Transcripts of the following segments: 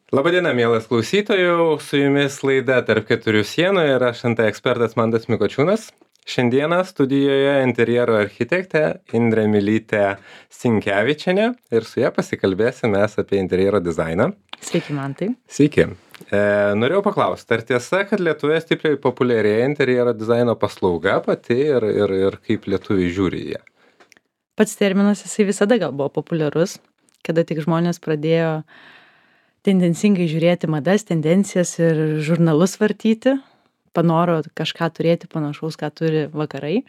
Labadiena, mielas klausytojų, su jumis laida Tarp keturių sienų ir aš nt ekspertas Mantas Mikočiūnas. Šiandieną studijoje interjero architektė Indrė Mylytė Sinkevičienė ir su ja pasikalbėsime apie interjero dizainą. Sveiki, Mantai. Sveiki. Norėjau paklausti, ar tiesa, kad Lietuvoje stipriai populiarėja interjero dizaino paslauga pati ir kaip lietuviai žiūri į ją? Pats terminas jisai visada gal buvo populiarus, kada tik žmonės pradėjo tendencingai žiūrėti madas, tendencijas ir žurnalus vartyti, panoro kažką turėti panašaus, ką turi vakarai.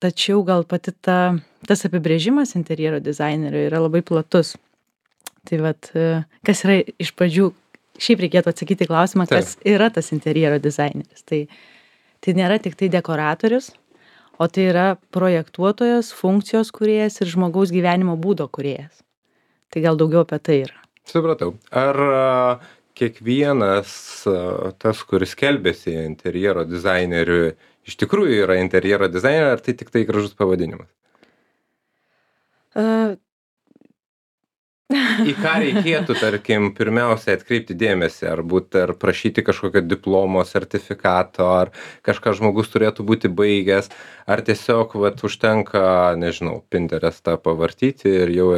Tačiau gal pati tas apibrėžimas interjero dizainerio yra labai platus. Tai vat, kas yra iš pradžių, šiaip reikėtų atsakyti klausimą, kas yra tas interjero dizaineris. Tai nėra tik tai dekoratorius, o tai yra projektuotojas, funkcijos kūrėjas ir žmogaus gyvenimo būdo kūrėjas. Tai gal daugiau apie tai yra. Supratau. Ar kiekvienas tas, kuris skelbiasi interjero dizaineriu, iš tikrųjų yra interjero dizaineris, ar tai tik tai gražus pavadinimas? Į ką reikėtų, tarkim, pirmiausia atkreipti dėmesį, ar prašyti kažkokio diplomo, sertifikato, ar kažką žmogus turėtų būti baigęs, ar tiesiog užtenka, nežinau, Pinterestą pavartyti ir jau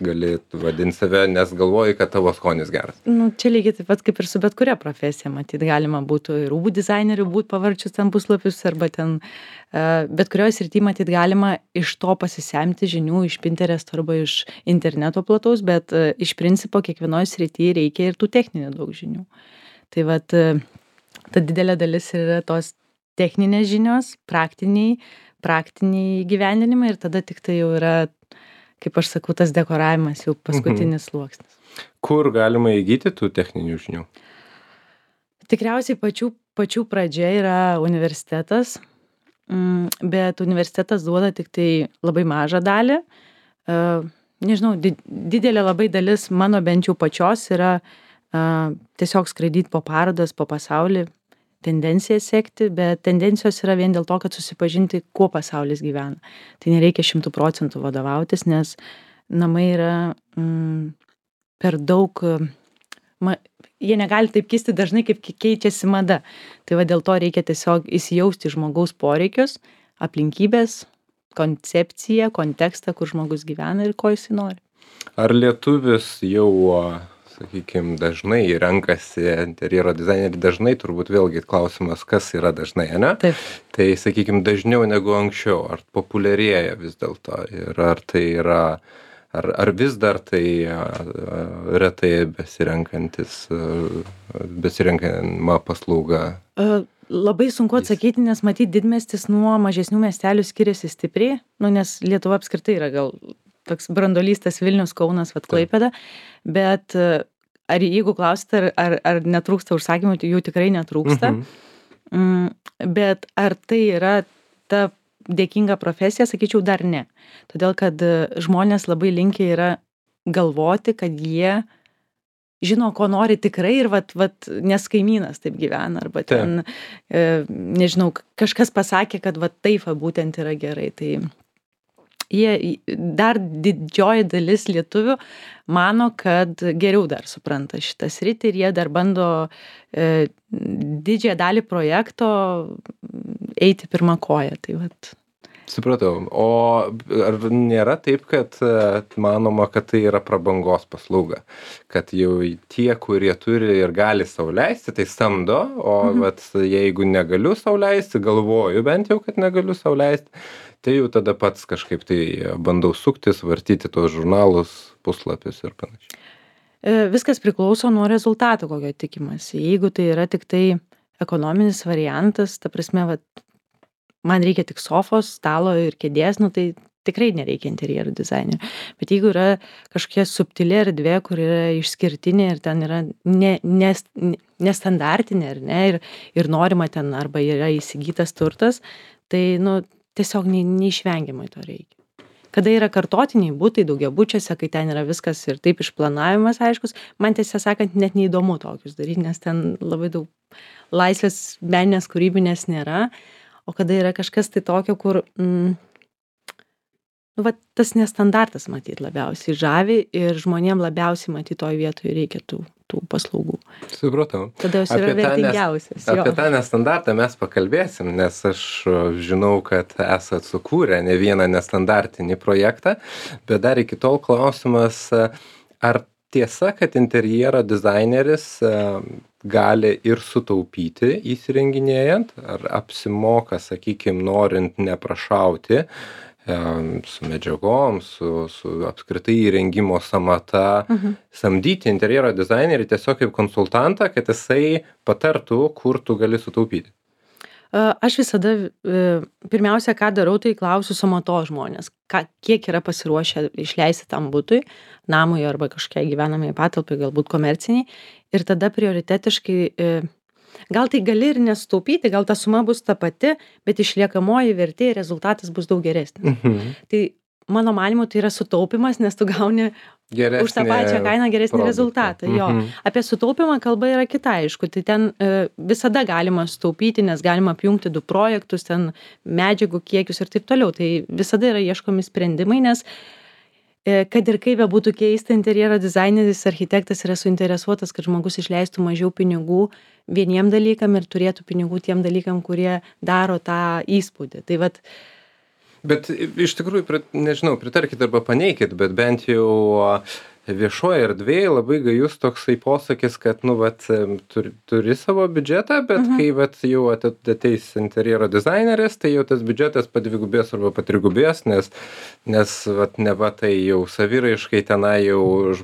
gali vadinti save, nes galvoji, kad tavo skonis geras. Čia lygiai taip pat kaip ir su bet kuria profesija, matyt, galima būtų ir rūbų dizainerių būti pavarčius ten puslapius, arba ten bet kurioje srityje, matyt, galima iš to pasisemti žinių iš Pinteresto arba iš interneto plataus, bet iš principo kiekvienoje srityje reikia ir tų techninių daug žinių. Tai vat, ta didelė dalis yra tos techninės žinios, praktiniai gyvendinimai ir tada tik tai jau yra, kaip aš sakau, tas dekoravimas jau paskutinis sluoksnis. Kur galima įgyti tų techninių žinių? Tikriausiai pačių pradžia yra universitetas, bet universitetas duoda tik tai labai mažą dalį. Nežinau, didelė labai dalis mano bent jau pačios yra tiesiog skraidyti po parodas, po pasaulį, tendencijas sekti, bet tendencijos yra vien dėl to, kad susipažinti, kuo pasaulis gyvena. Tai nereikia 100% vadovautis, nes namai yra per daug, jie negali taip kisti dažnai, kaip keičiasi mada. Tai va dėl to reikia tiesiog įsijausti žmogaus poreikius, aplinkybės, koncepciją, kontekstą, kur žmogus gyvena ir ko jisai nori. Ar lietuvis jau, sakykime, dažnai renkasi interjero dizainerį, dažnai turbūt vėlgi klausimas, kas yra dažnai, ne? Taip. Tai, sakykime, dažniau negu anksčiau, ar populiarėja vis dėlto ir ar tai yra, ar vis dar tai retai besirenkama paslauga? Labai sunku atsakyti, nes matyt didmiestis nuo mažesnių miestelių skiriasi stipriai, nes Lietuva apskritai yra gal toks brandolystas Vilnius, Kaunas, Klaipėda, bet ar jeigu klausite, ar netrūksta užsakymų, tai jų tikrai netrūksta, bet ar tai yra ta dėkinga profesija, sakyčiau, dar ne. Todėl, kad žmonės labai linkę yra galvoti, kad jie žino, ko nori tikrai ir nes kaimynas taip gyvena, arba ten, nežinau, kažkas pasakė, kad taip būtent yra gerai. Tai jie, dar didžioji dalis lietuvių mano, kad geriau dar supranta šitą sritį ir jie dar bando didžiąją dalį projekto eiti pirmą koją. Tai Supratau. O ar nėra taip, kad manoma, kad tai yra prabangos paslauga? Kad jau tie, kurie turi ir gali sau leisti, tai samdo, o jeigu negaliu sau leisti, galvoju bent jau, kad negaliu sau leisti, tai jau tada pats kažkaip tai bandau suktis, vartyti tos žurnalus, puslapius ir panašiai. Viskas priklauso nuo rezultato, kokio tikimasi. Jeigu tai yra tik tai ekonominis variantas, ta prasme, man reikia tik sofos, stalo ir kėdės, tai tikrai nereikia interjero dizainerio. Bet jeigu yra kažkokia subtili erdvė, kur yra išskirtinė ir ten yra nestandartinė, ar ne, ir norima ten arba yra įsigytas turtas, tai tiesiog neišvengiamai to reikia. Kada yra kartotiniai butai daugiabučiuose, kai ten yra viskas ir taip išplanavimas aiškus, man tiesą sakant net neįdomu tokius daryti, nes ten labai daug laisvės meninės kūrybinės nėra. O kada yra kažkas tai tokio, kur nu, vat, tas nestandartas matyt labiausiai žavi ir žmonėm labiausiai matyt toj vietoj reikia tų paslaugų. Supratau. Tada jos yra vertingiausias. Apie tą nestandartą mes pakalbėsim, nes aš žinau, kad esat sukūrę ne vieną nestandartinį projektą, bet dar iki tol klausimas, ar tiesa, kad interjero dizaineris gali ir sutaupyti įsirenginėjant, ar apsimoka, sakykime, norint neprašauti su medžiagom, su apskritai įrengimo samata, samdyti interjero dizainerį tiesiog kaip konsultantą, kad jisai patartų, kur tu gali sutaupyti. Aš visada, pirmiausia, ką darau, tai klausiu samatos žmonės, kiek yra pasiruošę išleisti tam butui, namui arba kažkokiai gyvenamai patalpai, galbūt komerciniai, ir tada prioritetiškai, gal tai gali ir nesutaupyti, gal ta suma bus ta pati, bet išliekamoji vertė ir rezultatas bus daug geresnis. Tai mano manymu tai yra sutaupimas, nes tu gauni už tą pačią kainą geresnį rezultatą. Jo. Apie sutaupimą kalba yra kita, aišku, tai ten visada galima sutaupyti, nes galima apjungti 2 projektus, ten medžiagų kiekius ir taip toliau. Tai visada yra ieškomi sprendimai, nes kad ir kaip būtų keista, interjero dizaineris, architektas yra suinteresuotas, kad žmogus išleistų mažiau pinigų vieniem dalykam ir turėtų pinigų tiem dalykam, kurie daro tą įspūdį. Tai vat, bet iš tikrųjų, nežinau, pritarkit arba paneikit, bet bent jau viešoje erdvėje labai gajus toksai posakis, kad, nu, vat, turi savo biudžetą, bet kai, vat, jau ateis interjero dizaineris, tai jau tas biudžetas padvigubės arba patrigubės, nes vat, neva tai jau saviraiškai tenai jau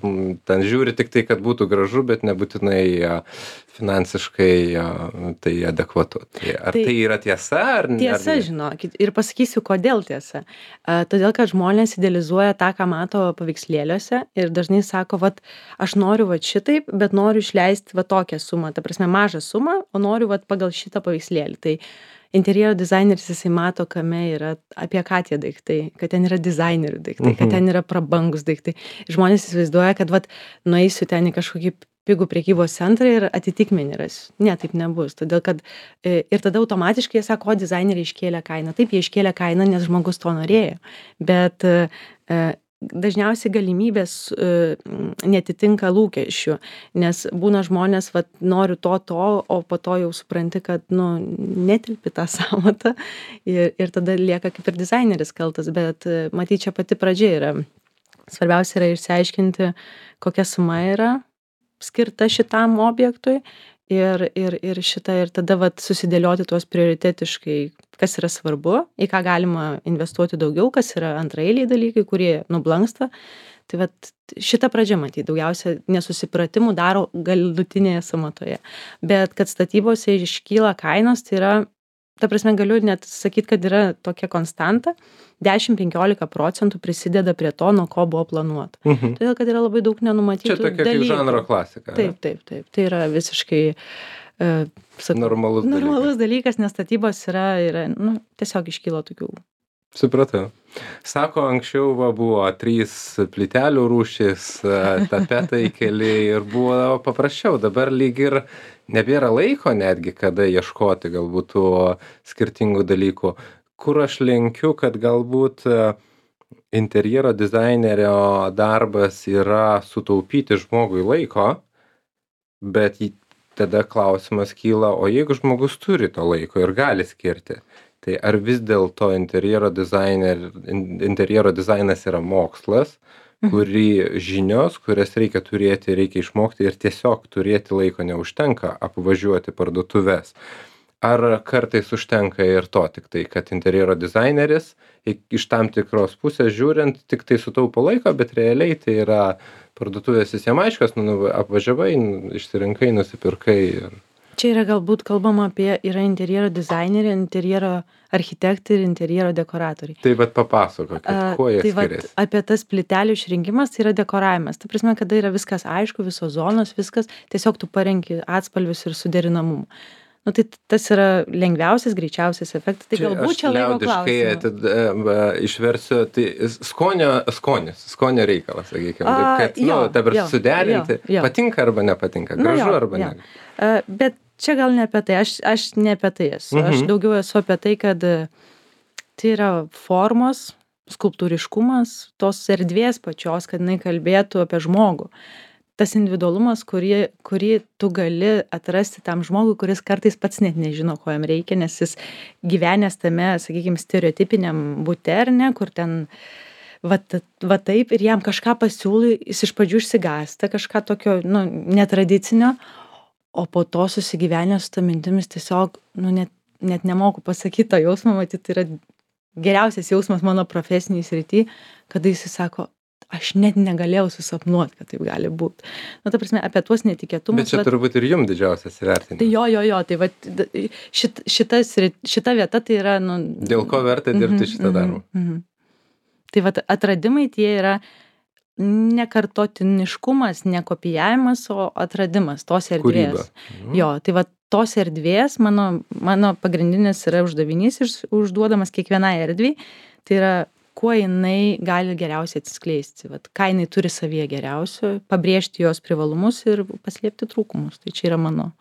ten žiūri tik tai, kad būtų gražu, bet nebūtinai finansiškai tai adekvatu. Ar tai yra tiesa? Tiesa, žinokit. Ir pasakysiu, kodėl tiesa. Todėl, kad žmonės idealizuoja tą, ką mato paveikslėliuose ir dažnai sako, vat, aš noriu vat šitaip, bet noriu išleisti vat tokią sumą, ta prasme mažą sumą, o noriu vat pagal šitą paveikslėlį. Tai interjero dizaineris, jisai mato, kame yra, apie ką tie daiktai, kad ten yra dizainerių daiktai, kad ten yra prabangus daiktai. Žmonės įsivaizduoja, kad vat nueisiu ten į kažkokį pigų prekybos centrą ir atitikmenį rasiu. Ne, taip nebus. Todėl, kad ir tada automatiškai jie sako, dizaineriai iškėlė kainą. Taip, jie iškėlė kainą, nes žmogus to norėjo. Bet dažniausiai galimybės netitinka lūkesčių, nes būna žmonės, vat, noriu to, o po to jau supranti, kad, nu, netilpi tą sąmatą ir tada lieka kaip ir dizaineris kaltas, bet matyt, čia pati pradžia yra. Svarbiausia yra išsiaiškinti, kokia suma yra skirta šitam objektui ir tada vat susidėlioti tuos prioritetiškai, kas yra svarbu, į ką galima investuoti daugiau, kas yra antraeiliai dalykai, kurie nublanksta. Tai vat šita pradžia, matyt, daugiausia nesusipratimų daro galutinėje samatoje. Bet kad statybose iškyla kainos, tai yra, ta prasme, galiu net sakyti, kad yra tokia konstanta, 10-15% prisideda prie to, nuo ko buvo planuota. Todėl, kad yra labai daug nenumatytų dalykų. Čia tokia kaip žanro klasika. Taip. Tai yra visiškai normalus dalykas, nes statybos yra nu, tiesiog iškylo tokių. Supratau. Sako, anksčiau buvo 3 plytelių rūšys, tapetai keli ir buvo paprasčiau. Dabar lyg ir nebėra laiko netgi, kada ieškoti galbūt tų skirtingų dalykų. Kur aš lenkiu, kad galbūt interjero dizainerio darbas yra sutaupyti žmogui laiko, bet tada klausimas kyla, o jeigu žmogus turi to laiko ir gali skirti, tai ar vis dėlto interjero dizainas yra mokslas, kurį žinios, kurias reikia turėti, reikia išmokti ir tiesiog turėti laiko neužtenka apvažiuoti parduotuves. Ar kartais užtenka ir to, tik tai, kad interjero dizaineris iš tam tikros pusės žiūrint tik tai sutaupo laiko, bet realiai tai yra parduotuvės visiems aiškios, apvažiavai, išsirinkai, nusipirkai. Čia yra galbūt kalbama apie yra interjero dizaineriai, interjero architektai ir interjero dekoratoriai. Tai bet papasakokit, kuo jie skiriasi? Apie tas plytelių išrinkimas tai yra dekoravimas. Ta prasme, kada yra viskas aišku, visos zonos, viskas, tiesiog tu parenki atspalvius ir suderinamumą. Nu, tai tas yra lengviausias, greičiausias efektas. Tai galbūt čia laiko klausimas. Išversiu, tai skonio reikalas, sakykime. Kad, dabar suderinti, patinka arba nepatinka, gražu arba ne. Bet čia gal ne apie tai, aš ne apie tai esu. Aš daugiau esu apie tai, kad tai yra formos, skulptūriškumas tos erdvės pačios, kad jinai kalbėtų apie žmogų. Tas individualumas, kurį tu gali atrasti tam žmogui, kuris kartais pats net nežino, ko jam reikia, nes jis gyvenęs tame, sakykime, stereotipiniam bute, ar ne, kur ten va taip ir jam kažką pasiūlai, jis iš pradžių išsigąsta, kažką tokio, nu, netradicinio, o po to susigyvenęs su ta mintimis tiesiog, nu, net nemoku pasakyti tą jausmą, matyt, tai yra geriausias jausmas mano profesiniai srity, kada jis sako, aš net negalėjau susapnuoti, kad taip gali būti. Nu, ta prasme, apie tuos netikėtumus. Bet čia turbūt ir jums didžiausias įvertinimas. Tai jo, tai va, šita vieta tai yra, nu... Dėl ko verta dirbti šitą darbą? Tai va, atradimai tie yra nekartotiniškumas, ne kopijavimas, o atradimas tos erdvės. Kūryba. Jo, tai va, tos erdvės, mano pagrindinis yra uždavinys užduodamas kiekvienai erdvei, tai yra kuo jinai gali geriausiai atsiskleisti, vat, ką jinai turi savyje geriausio, pabrėžti jos privalumus ir paslėpti trūkumus. Tai čia yra mano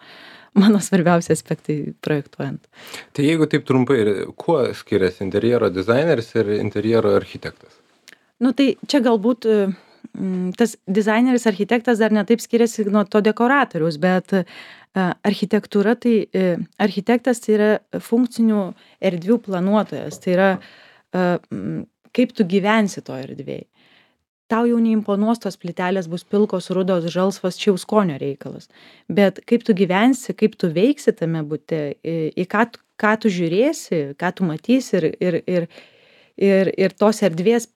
svarbiausi aspektai projektuojant. Tai jeigu taip trumpai, kuo skiriasi interjero dizaineris ir interjero architektas? Nu tai čia galbūt tas dizaineris, architektas dar netaip skiriasi nuo to dekoratoriaus, bet architektūra, tai architektas tai yra funkcinių erdvių planuotojas, tai yra kaip tu gyvensi to erdvėj. Tau jau neimponuos tos plytelės bus pilkos, rudos, žalsvos, čia jau skonio reikalas. Bet kaip tu gyvensi, kaip tu veiksi tame bute, į ką tu žiūrėsi, ką tu matysi ir tos erdvės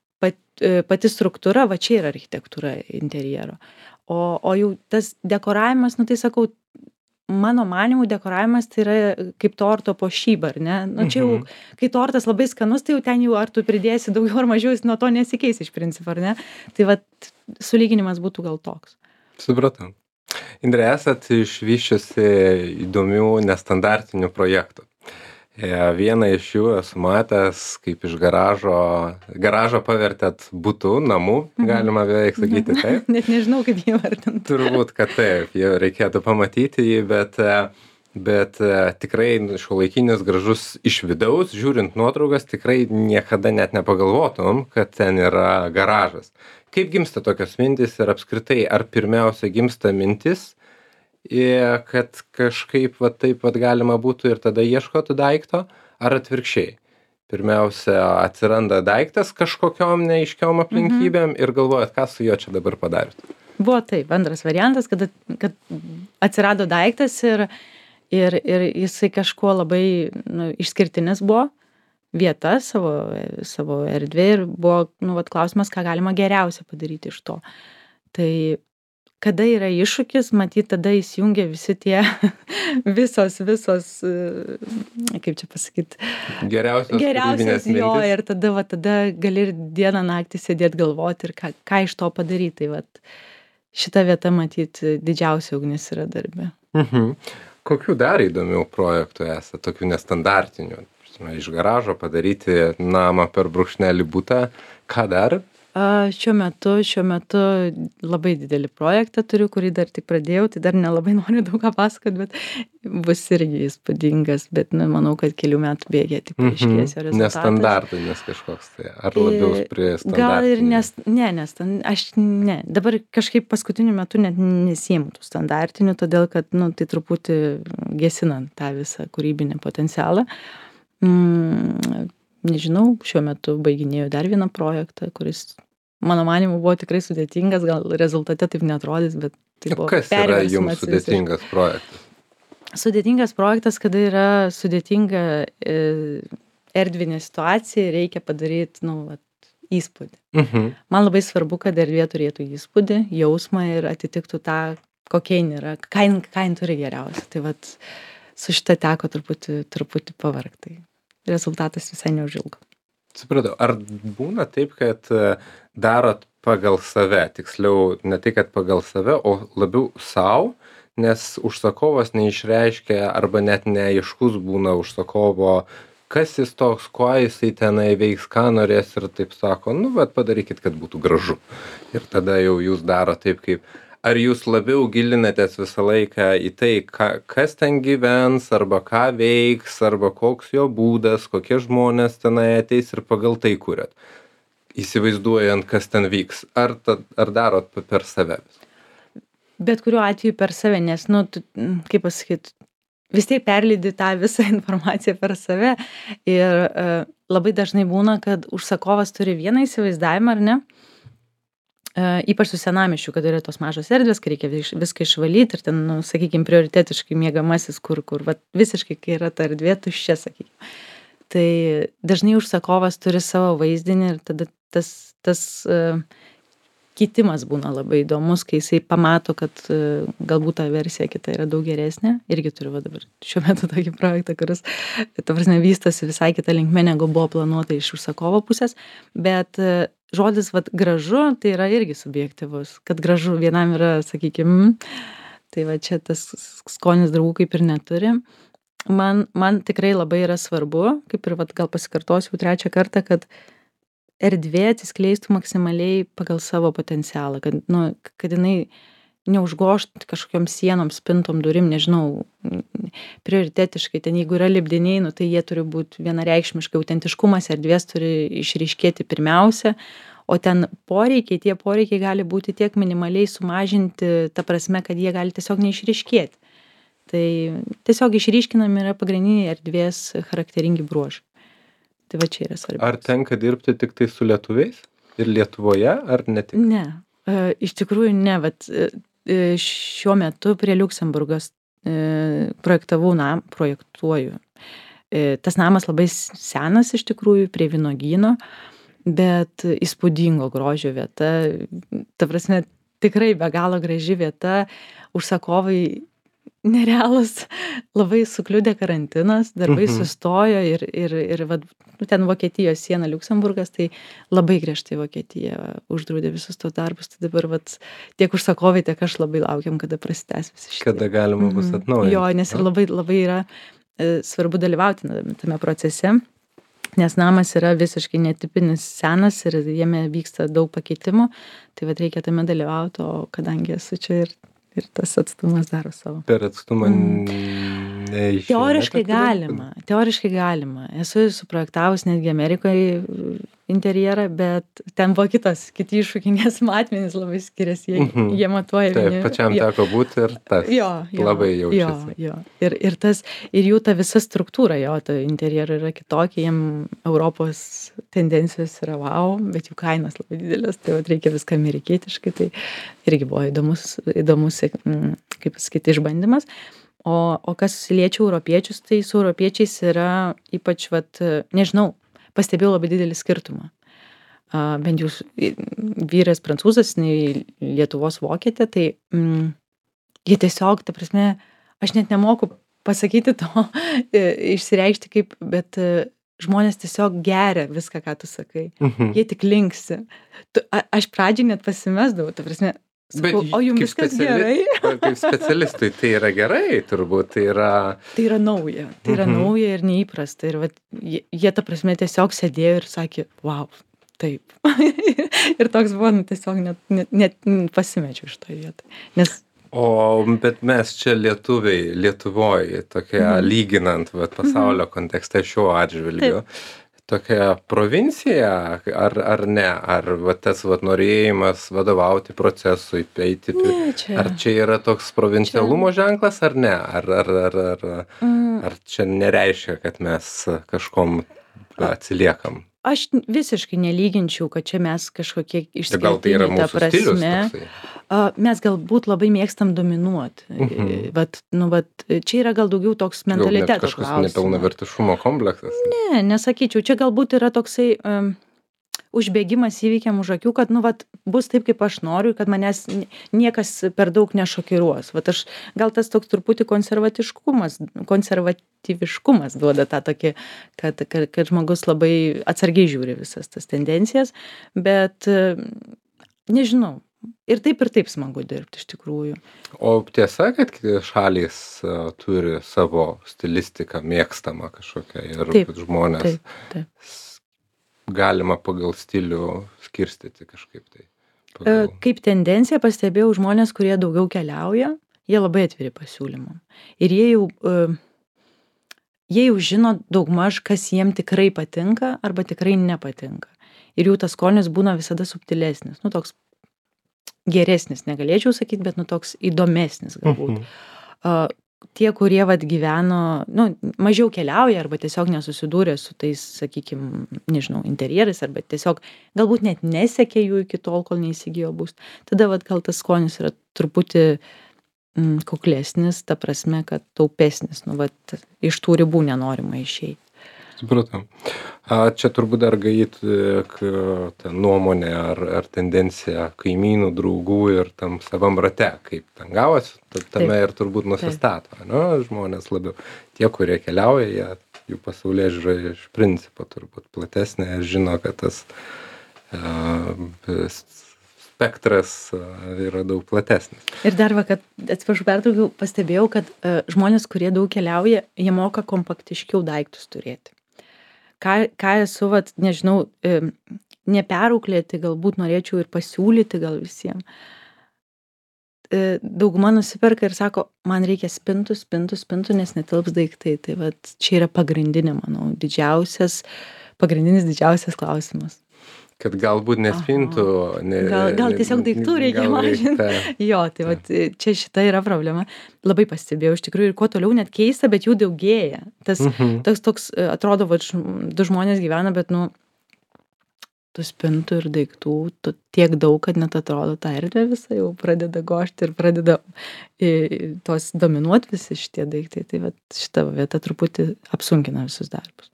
pati struktūra, va čia yra architektūra interjero. O jau tas dekoravimas, nu tai sakau, mano manymu dekoravimas tai yra kaip torto puošyba, ar ne? Nu čia jau, kai tortas labai skanus, tai jau ten jau ar tu pridėsi daugiau ar mažiau, jis nuo to nesikeis iš principo, ar ne? Tai va, sulyginimas būtų gal toks. Supratau. Indrė, esat išvyščiusi įdomių nestandartinių projektų. Vieną iš jų esu matęs, kaip iš garažo pavertėt butu, namų, galima beveik sakyti taip. Net nežinau, kaip jį vardinti. Turbūt, kad taip, jau reikėtų pamatyti jį, bet tikrai šiuolaikinis gražus iš vidaus, žiūrint nuotraukas, tikrai niekada net nepagalvotum, kad ten yra garažas. Kaip gimsta tokios mintys ir apskritai, ar pirmiausia gimsta mintis, kad kažkaip va taip pat galima būtų ir tada ieškoti daikto, ar atvirkščiai? Pirmiausia, atsiranda daiktas kažkokiom neaiškiom aplinkybėm ir galvojat, ką su juo čia dabar padarėt? Buvo taip, antras variantas, kad atsirado daiktas ir jisai kažkuo labai išskirtinis buvo, vieta savo erdvė ir buvo klausimas, ką galima geriausia padaryti iš to. Tai kada yra iššūkis, matyt, tada įsijungia visi tie visos, kaip čia pasakyti, geriausios jo, ir tada gali ir dieną naktį sėdėti galvoti ir ką iš to padaryti. Tai šita vieta, matyt, didžiausia ugnis yra darbe. Kokių dar įdomių projektų esate, tokių nestandartinių? Iš garažo padaryti namą per brūkšnelį butą, ką dar? Šiuo metu labai didelį projektą turiu, kurį dar tik pradėjau, tai dar nelabai noriu daug ką pasakoti, bet bus irgi įspūdingas, bet manau, kad kelių metų bėgė tik paaiškės jo rezultatas. Nestandartinis kažkoks tai, ar labiau prie standartinio? Gal ir aš dabar kažkaip paskutiniu metu net nesiimu tų standartinių, todėl kad, tai truputį gesinant tą visą kūrybinį potencialą. Nežinau, šiuo metu baiginėjau dar vieną projektą, kuris, mano manimu, buvo tikrai sudėtingas, gal rezultate taip neatrodys, bet tai buvo perversmas. Kas yra jums sudėtingas projektas? Sudėtingas projektas, kada yra sudėtinga erdvinė situacija, reikia padaryti, įspūdį. Man labai svarbu, kad erdvė turėtų įspūdį, jausmą ir atitiktų tą, kokia jin yra, ką jin turi geriausia. Tai su šita teko truputį pavargti. Rezultatas visai neužilgo. Supratau, ar būna taip, kad darot pagal save, tiksliau ne tai, kad pagal save, o labiau savo, nes užsakovas neišreiškia arba net neaiškus būna užsakovo, kas jis toks, kuo jisai tenai veiks, ką norės ir taip sako, padarykit, kad būtų gražu. Ir tada jau jūs daro taip, kaip... Ar jūs labiau gilinatės visą laiką į tai, kas ten gyvens, arba ką veiks, arba koks jo būdas, kokie žmonės tenai ateis ir pagal tai kuriat? įsivaizduojant, kas ten vyks? Ar darot per save? Bet kuriuo atveju per save, nes, nu, kaip pasakyt, vis tiek perleidi tą visą informaciją per save ir labai dažnai būna, kad užsakovas turi vieną įsivaizdavimą, ar ne? Ypač su senamiesčiu, kad yra tos mažos erdvės, kai reikia viską išvalyti ir ten, nu, sakykime, prioritetiškai miegamasis, kur vat, visiškai, kai yra ta erdvė tuščia, sakykime. Tai dažnai užsakovas turi savo vaizdinį ir tada tas kitimas būna labai įdomus, kai jisai pamato, kad galbūt ta versija kita yra daug geresnė. Irgi turiu va dabar šiuo metu tokį projektą, kuris, ta prasme, vystosi visai kitą linkmę, negu buvo planuota iš užsakovo pusės, bet žodis vat gražu, tai yra irgi subjektyvus, kad gražu vienam yra, sakykime, tai va čia tas skonis draugų kaip ir neturi. Man tikrai labai yra svarbu, kaip ir vat gal pasikartosiu trečią kartą, kad erdvė atsiskleistų maksimaliai pagal savo potencialą, kad jinai neužgoštų kažkokiom sienom, spintom, durim, nežinau, prioritetiškai, ten jeigu yra lipdiniai, nu, tai jie turi būti vienareikšmiškai, autentiškumas erdvės turi išryškėti pirmiausia, o ten tie poreikiai gali būti tiek minimaliai sumažinti, ta prasme, kad jie gali tiesiog neišryškėti. Tai tiesiog išryškinami yra pagrindiniai erdvės charakteringi bruožai. Tai va čia yra svarbiausia. Ar tenka dirbti tik tai su lietuviais? Ir Lietuvoje, ar ne tik? Ne, iš tikrųjų ne, bet šiuo metu prie Liuksemburgas projektuoju. Tas namas labai senas iš tikrųjų, prie vynuogyno, bet įspūdingo grožio vieta. Ta prasme, tikrai be galo graži vieta, užsakovai nerealus, labai sukliudė karantinas, darbai sustojo ir vat, ten Vokietijos siena Liuksemburgas, tai labai griežtai Vokietija uždraudė visus tos darbus, tai dabar vat, tiek užsakovai, tiek aš labai laukiam, kada prasitęs visi šitie. Kada galima bus atnaujinti. Jo, nes ir labai yra svarbu dalyvauti tame procese, nes namas yra visiškai netipinis senas ir jame vyksta daug pakeitimų, tai vat reikia tame dalyvauti, o kadangi esu čia ir tas atstumas daro savo. Per atstumą neišeina. Teoriškai galima. Esu suprojektavus netgi Amerikoje interjerą, bet ten buvo kiti iššūkiai, nes matmenys labai skiriasi, jie matuoja. Taip, pačiam teko būti ir tas labai jaučiasi. Jo. Ir jų ta visa struktūra, ta interjerų yra kitokia, jiem Europos tendencijos yra wow, bet jų kainos labai didelės, tai reikia viską amerikietiškai, tai irgi buvo įdomus kaip pasakyti, išbandymas. O kas liečia europiečius, tai su europiečiais yra ypač, nežinau, pastebėjau labai didelį skirtumą. Bent jau vyras prancūzas, Lietuvos vokietė, tai jie tiesiog, ta prasme, aš net nemoku pasakyti to, išsireikšti kaip, bet žmonės tiesiog geria viską, ką tu sakai. Jie tik linksi. Aš pradžiai net pasimesdavau, ta prasme, sakau, o jums viskas gerai? Kaip specialistui tai yra gerai, turbūt tai yra... Tai yra nauja, nauja ir neįprasta. Ir jie, ta prasme, tiesiog sėdėjo ir sakė, wow, taip. Ir toks buvo, tiesiog net pasimečiau iš to vietą. Bet mes čia Lietuvoje, tokia lyginant pasaulio kontekste šiuo atžvilgiu, tokia provincija, ar ne? Ar tas norėjimas vadovauti procesui, eiti, ar čia yra toks provincialumo ženklas, ar ne? Ar čia nereiškia, kad mes kažkom atsiliekam? Aš visiškai nelyginčiau, kad čia mes kažkokie išskirtiniai, gal tai yra mūsų stilius toksai? Mes galbūt labai mėgstam dominuoti. Čia yra gal daugiau toks mentaliteto klausimas. Kažkas nepilnavertiškumo kompleksas? Ne, nesakyčiau. Čia galbūt yra toksai užbėgimas įvykiam už akių, kad bus taip, kaip aš noriu, kad manęs niekas per daug nešokiruos. Gal tas toks truputį konservatyviškumas duoda tą tokį, kad žmogus labai atsargiai žiūri visas tas tendencijas, bet nežinau. Ir taip smagu dirbti iš tikrųjų. O tiesa, kad šalys turi savo stilistiką mėgstamą kažkokią ir žmonės galima pagal stilių skirstyti kažkaip tai? Kaip tendencija pastebėjau žmonės, kurie daugiau keliauja, jie labai atviri pasiūlymam. Ir jie jau žino daugmaž, kas jiem tikrai patinka arba tikrai nepatinka. ir jų tas skonis būna visada subtilesnis, nu toks geresnis, negalėčiau sakyti, bet nu toks įdomesnis galbūt. Tie, kurie vat gyveno, nu, mažiau keliauja arba tiesiog nesusidūrė su tais, sakykime, nežinau, interjerais arba tiesiog galbūt net nesekė jų iki tol, kol neįsigijo būstą. Tada vat gal tas skonis yra truputį kuklesnis, ta prasme, kad taupesnis, nu, vat iš tų ribų nenorima išeiti. Supratau. Čia turbūt dar gait ta nuomonė ar tendencija kaimynų, draugų ir tam savam rate, kaip ten gavosi, tame ir turbūt nusistato, ne, žmonės labiau. Tie, kurie keliauja, jų pasaulėžiūra iš principo turbūt platesnė ir žino, kad tas spektras yra daug platesnis. Ir dar va, kad atsiprašau, pertraukiau, pastebėjau, kad žmonės, kurie daug keliauja, jie moka kompaktiškiau daiktus turėti. Ką esu, vat, nežinau, neperauklėti, galbūt norėčiau ir pasiūlyti gal visiems. Dauguma nusiperka ir sako, man reikia spintų, nes netilps daiktai. Tai vat, čia yra pagrindinė, manau, pagrindinis didžiausias klausimas. Kad galbūt nespintų. Gal tiesiog daiktų reikia mažinti. Jo, tai vat, čia šita yra problema. Labai pastebėjau, iš tikrųjų, ir kuo toliau net keista, bet jų daugėja. Tas toks, atrodo, vat, du žmonės gyvena, bet, nu, tų spintų ir daiktų tiek daug, kad net atrodo, ta erdvė visą jau pradeda gožti ir pradeda tos dominuoti visi šitie daiktai. Tai vat, šita vieta truputį apsunkina visus darbus.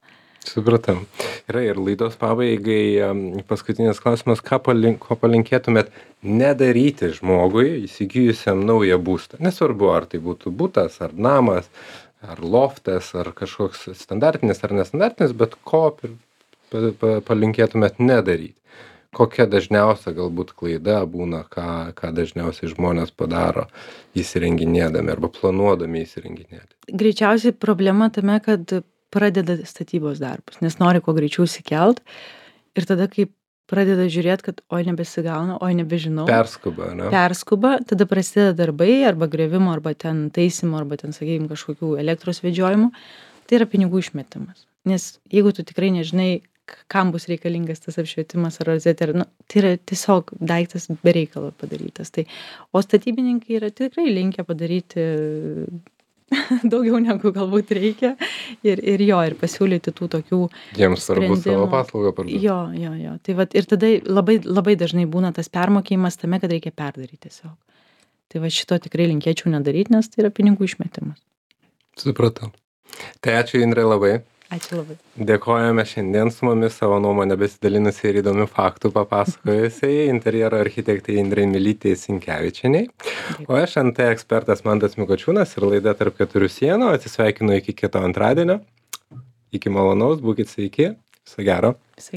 Supratam. Yra ir laidos pabaigai paskutinis klausimas, ko palinkėtumėt nedaryti žmogui įsigijusiam naują būstą. Nesvarbu, ar tai būtų butas, ar namas, ar loftas, ar kažkoks standartinis ar nestandartinis, bet ko palinkėtumėt nedaryti. Kokia dažniausia galbūt klaida būna, ką dažniausiai žmonės padaro įsirenginėdami arba planuodami įsirenginėti. Greičiausiai problema tame, kad pradeda statybos darbus, nes nori kuo greičiau įsikelt ir tada, kai pradeda žiūrėti, kad oi nebesigauna, oi nebežinau. Perskuba, ne? Perskuba, tada prasideda darbai arba grėvimo, arba ten taisymo, arba ten, sakykime, kažkokių elektros vedžiojimų. Tai yra pinigų išmetimas. Nes jeigu tu tikrai nežinai, kam bus reikalingas tas apšvietimas ar rozetė, nu, tai yra tiesiog daiktas be reikalo padarytas. Tai, o statybininkai yra tikrai linkę padaryti daugiau negu galbūt reikia ir pasiūlyti tų tokių jiems svarbu savo paslaugą parduoti. Jo. Tai vat, ir tada labai, labai dažnai būna tas permokėjimas tame, kad reikia perdaryti tiesiog. Tai va šito tikrai linkėčiau nedaryti, nes tai yra pinigų išmetimas. Supratau. Tai ačiū Indrė labai. Ačiū labai. Dėkojame šiandien su mumis savo nuomonę besidalinusi ir įdomių faktų papasakojusiai interjero architektai Indrei Mylytei Sinkevičienei. O aš NT ekspertas Mantas Mikočiūnas ir laida Tarp keturių sienų. Atsisveikinu iki kito antradienio. Iki malonaus, būkit sveiki. Viso gero.